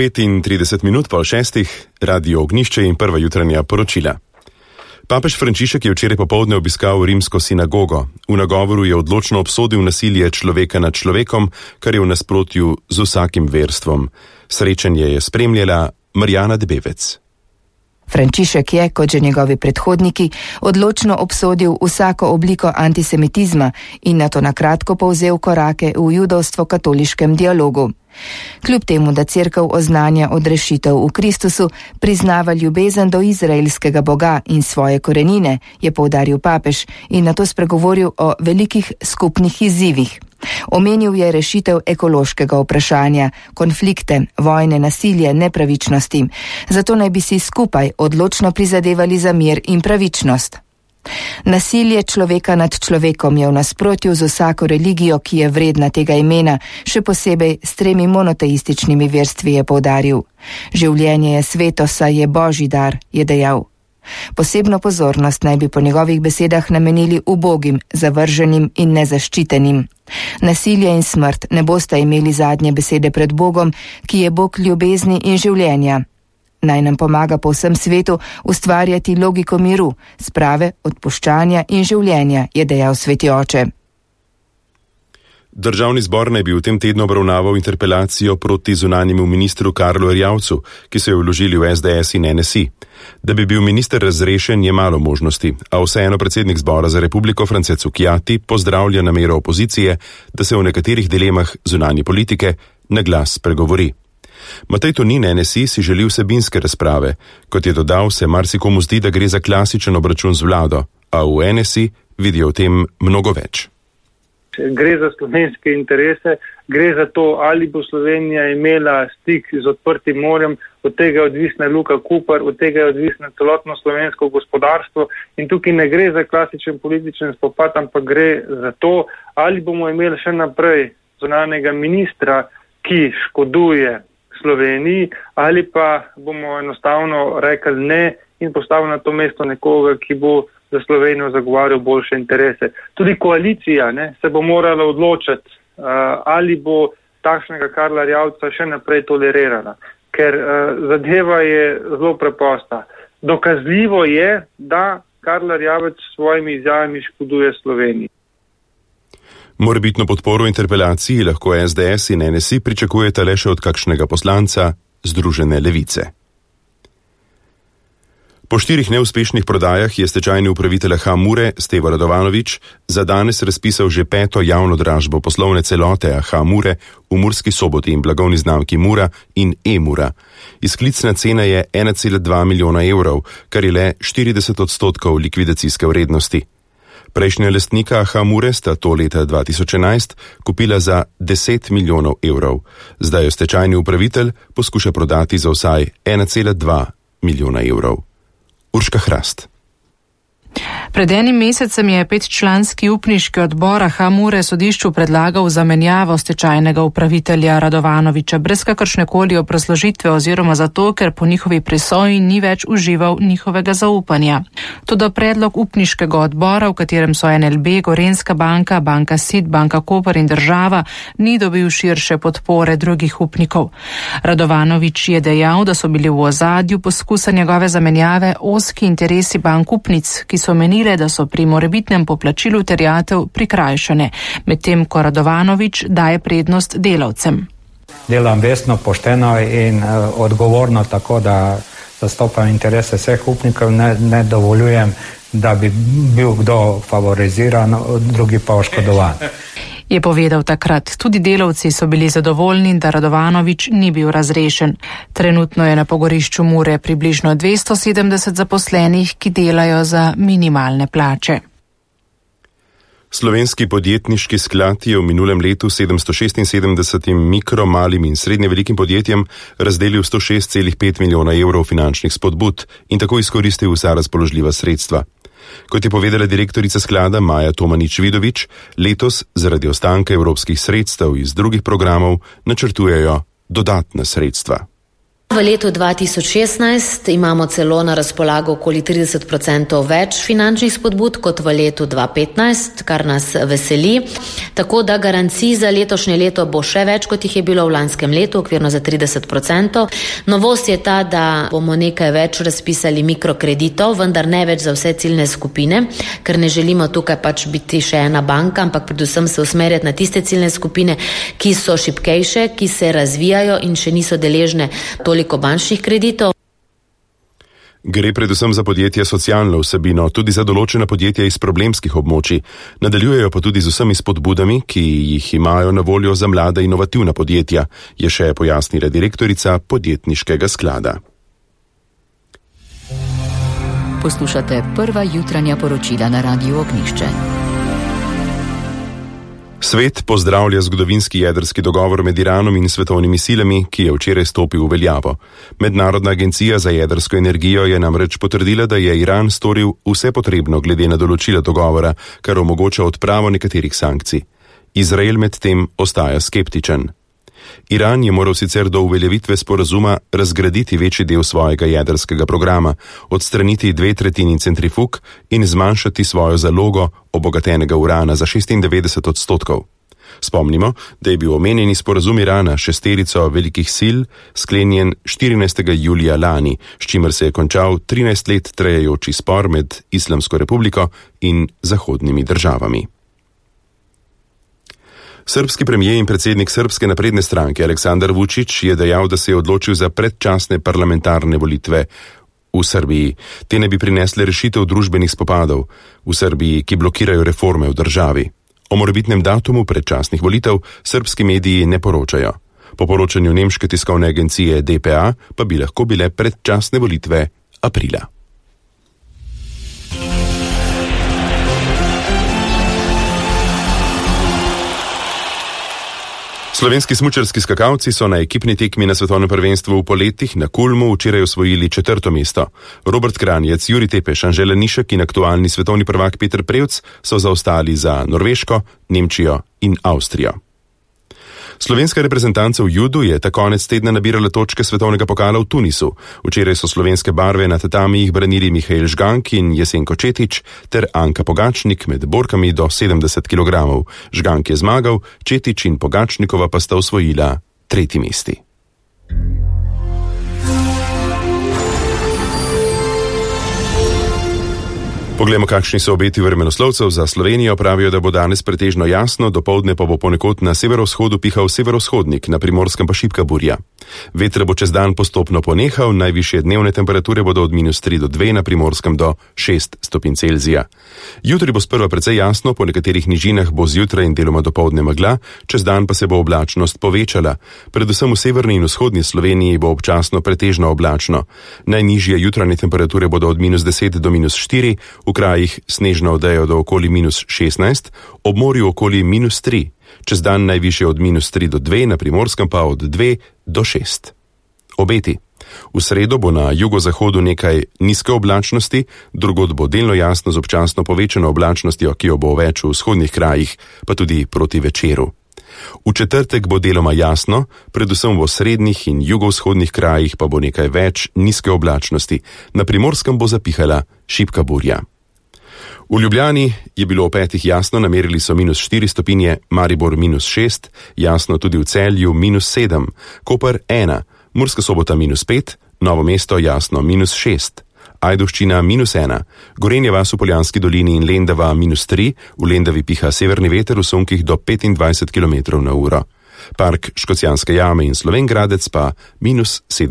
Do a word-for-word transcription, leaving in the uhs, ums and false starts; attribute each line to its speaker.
Speaker 1: petintrideset minut po šestih, Radio Ognjišče in prva jutranja poročila. Papež Frančišek je včeraj popoldne obiskal rimsko sinagogo. V nagovoru je odločno obsodil nasilje človeka nad človekom, kar je v nasprotju z vsakim verstvom. Srečanje je spremljala Marjana Debevec.
Speaker 2: Frančišek je, kot že njegovi predhodniki, odločno obsodil vsako obliko antisemitizma in nato na kratko povzel korake v judovstvo-katoliškem dialogu. Kljub temu, da cerkev oznanja odrešitev v Kristusu, priznava ljubezen do izraelskega Boga in svoje korenine, je poudaril papež in nato spregovoril o velikih skupnih izzivih. Omenil je rešitev ekološkega vprašanja, konflikte, vojne, nasilje, nepravičnosti. Zato naj bi si skupaj odločno prizadevali za mir in pravičnost. Nasilje človeka nad človekom je v nasprotju z vsako religijo, ki je vredna tega imena, še posebej s tremi monoteističnimi verstvi, je poudaril. Življenje je sveto, saj je božji dar, je dejal. Posebno pozornost naj bi po njegovih besedah namenili ubogim, zavrženim in nezaščitenim. Nasilje in smrt ne bosta imeli zadnje besede pred Bogom, ki je Bog ljubezni in življenja. Naj nam pomaga po vsem svetu ustvarjati logiko miru, sprave, odpuščanja in življenja, je dejal sveti oče.
Speaker 1: Državni zbor naj bi v tem tednu obravnaval interpelacijo proti zunanjemu ministru Karlu Erjavcu, ki so jo vložili v es de es in en es i. Da bi bil minister razrešen, je malo možnosti, a vseeno predsednik zbora za republiko France Cukjati pozdravlja namero opozicije, da se o nekaterih dilemah zunanje politike na glas pregovori. Matej Tonin en es i si želi vsebinske razprave. Kot je dodal, se marsikomu zdi, da gre za klasičen obračun z vlado, a v en es i vidijo v tem mnogo več.
Speaker 3: Gre za slovenske interese, gre za to, ali bo Slovenija imela stik z odprtim morjem, od tega je odvisna Luka Koper, od tega je odvisno celotno slovensko gospodarstvo in tukaj ne gre za klasičen političen spopad, ampak gre za to, ali bomo imeli še naprej zunanjega ministra, ki škoduje Sloveniji, ali pa bomo enostavno rekli ne in postavili na to mesto nekoga, ki bo za Slovenijo zagovarjal boljše interese. Tudi koalicija ne, se bo morala odločiti, uh, ali bo takšnega Karla Erjavca še naprej tolerirana. Ker uh, zadeva je zelo preprosta. Dokazljivo je, da Karl Erjavec s svojimi izjavami škoduje Sloveniji.
Speaker 1: Morebitno podporo interpelaciji lahko es de es in en es i pričakujeta le še od kakšnega poslanca Združene levice. Po štirih neuspešnih prodajah je stečajni upravitelj Aha Mure, Stevo Radovanovič, za danes razpisal že peto javno dražbo poslovne celote Aha Mure v Murski Soboti in blagovni znamki Mura in E-Mura. Izklicna cena je ena cela dva milijona evrov, kar je le štirideset odstotkov likvidacijske vrednosti. Prejšnja lastnika Aha Mure sta to leta dva tisoč enajst kupila za deset milijonov evrov. Zdaj jo stečajni upravitelj poskuša prodati za vsaj ena cela dva milijona evrov. Urška Hrast.
Speaker 4: Pred enim mesecem je petčlanski upniški odbor Aha Mure sodišču predlagal zamenjavo stečajnega upravitelja Radovanoviča brez kakršnekoli obrazložitve oziroma zato, ker po njihovi presoji ni več užival njihovega zaupanja. Toda predlog upniškega odbora, v katerem so en el be, Gorenjska banka, banka Sid, banka Koper in država, ni dobil širše podpore drugih upnikov. Radovanovič je dejal, da so bili v ozadju poskusa njegove zamenjave ozki interesi bank upnic, ki so menile, da so pri morebitnem poplačilu terjatev prikrajšane, medtem ko Radovanovič daje prednost delavcem.
Speaker 5: Delam vestno, pošteno in uh, odgovorno, tako da zastopam interese vseh upnikov, ne, ne dovoljujem, da bi bil kdo favoriziran, drugi pa oškodovan.
Speaker 4: Je povedal takrat. Tudi delavci so bili zadovoljni, da Radovanovič ni bil razrešen. Trenutno je na pogorišču Mure približno dvesto sedemdeset zaposlenih, ki delajo za minimalne plače.
Speaker 1: Slovenski podjetniški sklad je v minulem letu sedemsto šestinsedemdesetim mikro, malim in srednje velikim podjetjem razdelil sto šest celih pet milijona evrov finančnih spodbud in tako izkoristil vsa razpoložljiva sredstva. Kot je povedala direktorica sklada Maja Tomanič-Vidovič, letos zaradi ostanka evropskih sredstev iz drugih programov načrtujejo dodatna sredstva.
Speaker 6: V letu dva tisoč šestnajst imamo celo na razpolago okoli trideset procentov več finančnih spodbud kot v letu dva tisoč petnajst, kar nas veseli. Tako da garancij za letošnje leto bo še več, kot jih je bilo v lanskem letu, okvirno za trideset procentov. Novost je ta, da bomo nekaj več razpisali mikrokreditov, vendar ne več za vse ciljne skupine, ker ne želimo tukaj pač biti še ena banka, ampak predvsem se usmerjati na tiste ciljne skupine, ki so šibkejše, ki se razvijajo in še niso deležne toliko bančnih kreditov.
Speaker 1: Gre predvsem za podjetja socialno vsebino, tudi za določena podjetja iz problemskih območij. Nadaljujejo pa tudi z vsemi spodbudami, ki jih imajo na voljo za mlada inovativna podjetja, je še pojasnila direktorica podjetniškega sklada.
Speaker 7: Poslušate prva jutranja poročila na Radiu Ognjišče.
Speaker 1: Svet pozdravlja zgodovinski jedrski dogovor med Iranom in svetovnimi silami, ki je včeraj stopil v veljavo. Mednarodna agencija za jedrsko energijo je namreč potrdila, da je Iran storil vse potrebno glede na določila dogovora, kar omogoča odpravo nekaterih sankcij. Izrael medtem ostaja skeptičen. Iran je moral sicer do uveljavitve sporazuma razgraditi večji del svojega jedrskega programa, odstraniti dve tretjini centrifug in zmanjšati svojo zalogo obogatenega urana za šestindevetdeset odstotkov. Spomnimo, da je bil omenjeni sporazum Irana šesterico velikih sil sklenjen štirinajstega julija lani, s čimer se je končal trinajst let trajajoči spor med Islamsko republiko in zahodnimi državami. Srbski premijer in predsednik Srbske napredne stranke Aleksandar Vučić je dejal, da se je odločil za predčasne parlamentarne volitve v Srbiji. Te ne bi prinesle rešitev družbenih spopadov v Srbiji, ki blokirajo reforme v državi. O morebitnem datumu predčasnih volitev srbski mediji ne poročajo. Po poročanju nemške tiskovne agencije D P A pa bi lahko bile predčasne volitve aprila. Slovenski smučarski skakalci so na ekipni tekmi na svetovnem prvenstvu v poletih na Kulmu včeraj osvojili četrto mesto. Robert Kranjec, Jurij Tepeš, Anžela Nišek in aktualni svetovni prvak Peter Prevc so zaostali za Norveško, Nemčijo in Avstrijo. Slovenska reprezentanca v judu je ta konec tedna nabirala točke svetovnega pokala v Tunisu. Včeraj so slovenske barve na tatamijih branili Mihael Žgank in Jesenko Četič ter Anka Pogačnik med borkami do sedemdeset kilogramov. Žgank je zmagal, Četič in Pogačnikova pa sta osvojila tretji mesti. Poglejmo, kakšni so obeti vremenoslovcev za Slovenijo. Pravijo, da bo danes pretežno jasno, dopoldne pa bo ponekod na severovzhodu pihal severovzhodnik, na Primorskem pa šibka burja. Veter bo čez dan postopno ponehal, najvišje dnevne temperature bodo od minus tri do dve, na Primorskem do šest stopinj Celzija. Jutri bo sprva precej jasno, po nekaterih nižinah bo zjutraj in deloma dopoldne megla, čez dan pa se bo oblačnost povečala. Predvsem v severni in vzhodni Sloveniji bo občasno pretežno oblačno. Najnižje jutranje temperature bodo od minus deset do minus štiri, v krajih snežno odejo do okoli minus šestnajst, ob morju okoli minus tri, čez dan najvišje od minus tri do dve, na Primorskem pa od dve do šest. Obeti. V sredo bo na jugozahodu nekaj nizke oblačnosti, drugod bo delno jasno z občasno povečano oblačnostjo, ki jo bo več v vzhodnih krajih, pa tudi proti večeru. V četrtek bo deloma jasno, predvsem v srednjih in jugovzhodnih krajih pa bo nekaj več nizke oblačnosti, na Primorskem bo zapihala šibka burja. V Ljubljani je bilo o petih jasno, namerili so minus štiri stopinje, Maribor minus šest, jasno tudi v Celju minus sedem, Koper ena, Murska Sobota minus pet, Novo mesto jasno minus šest, Ajdovščina minus ena, Gorenja vas v Poljanski dolini in Lendava minus tri, v Lendavi piha severni veter v sunkih do petindvajset kilometrov na uro. Park Škocjanske jame in Slovenj Gradec pa minus sedem.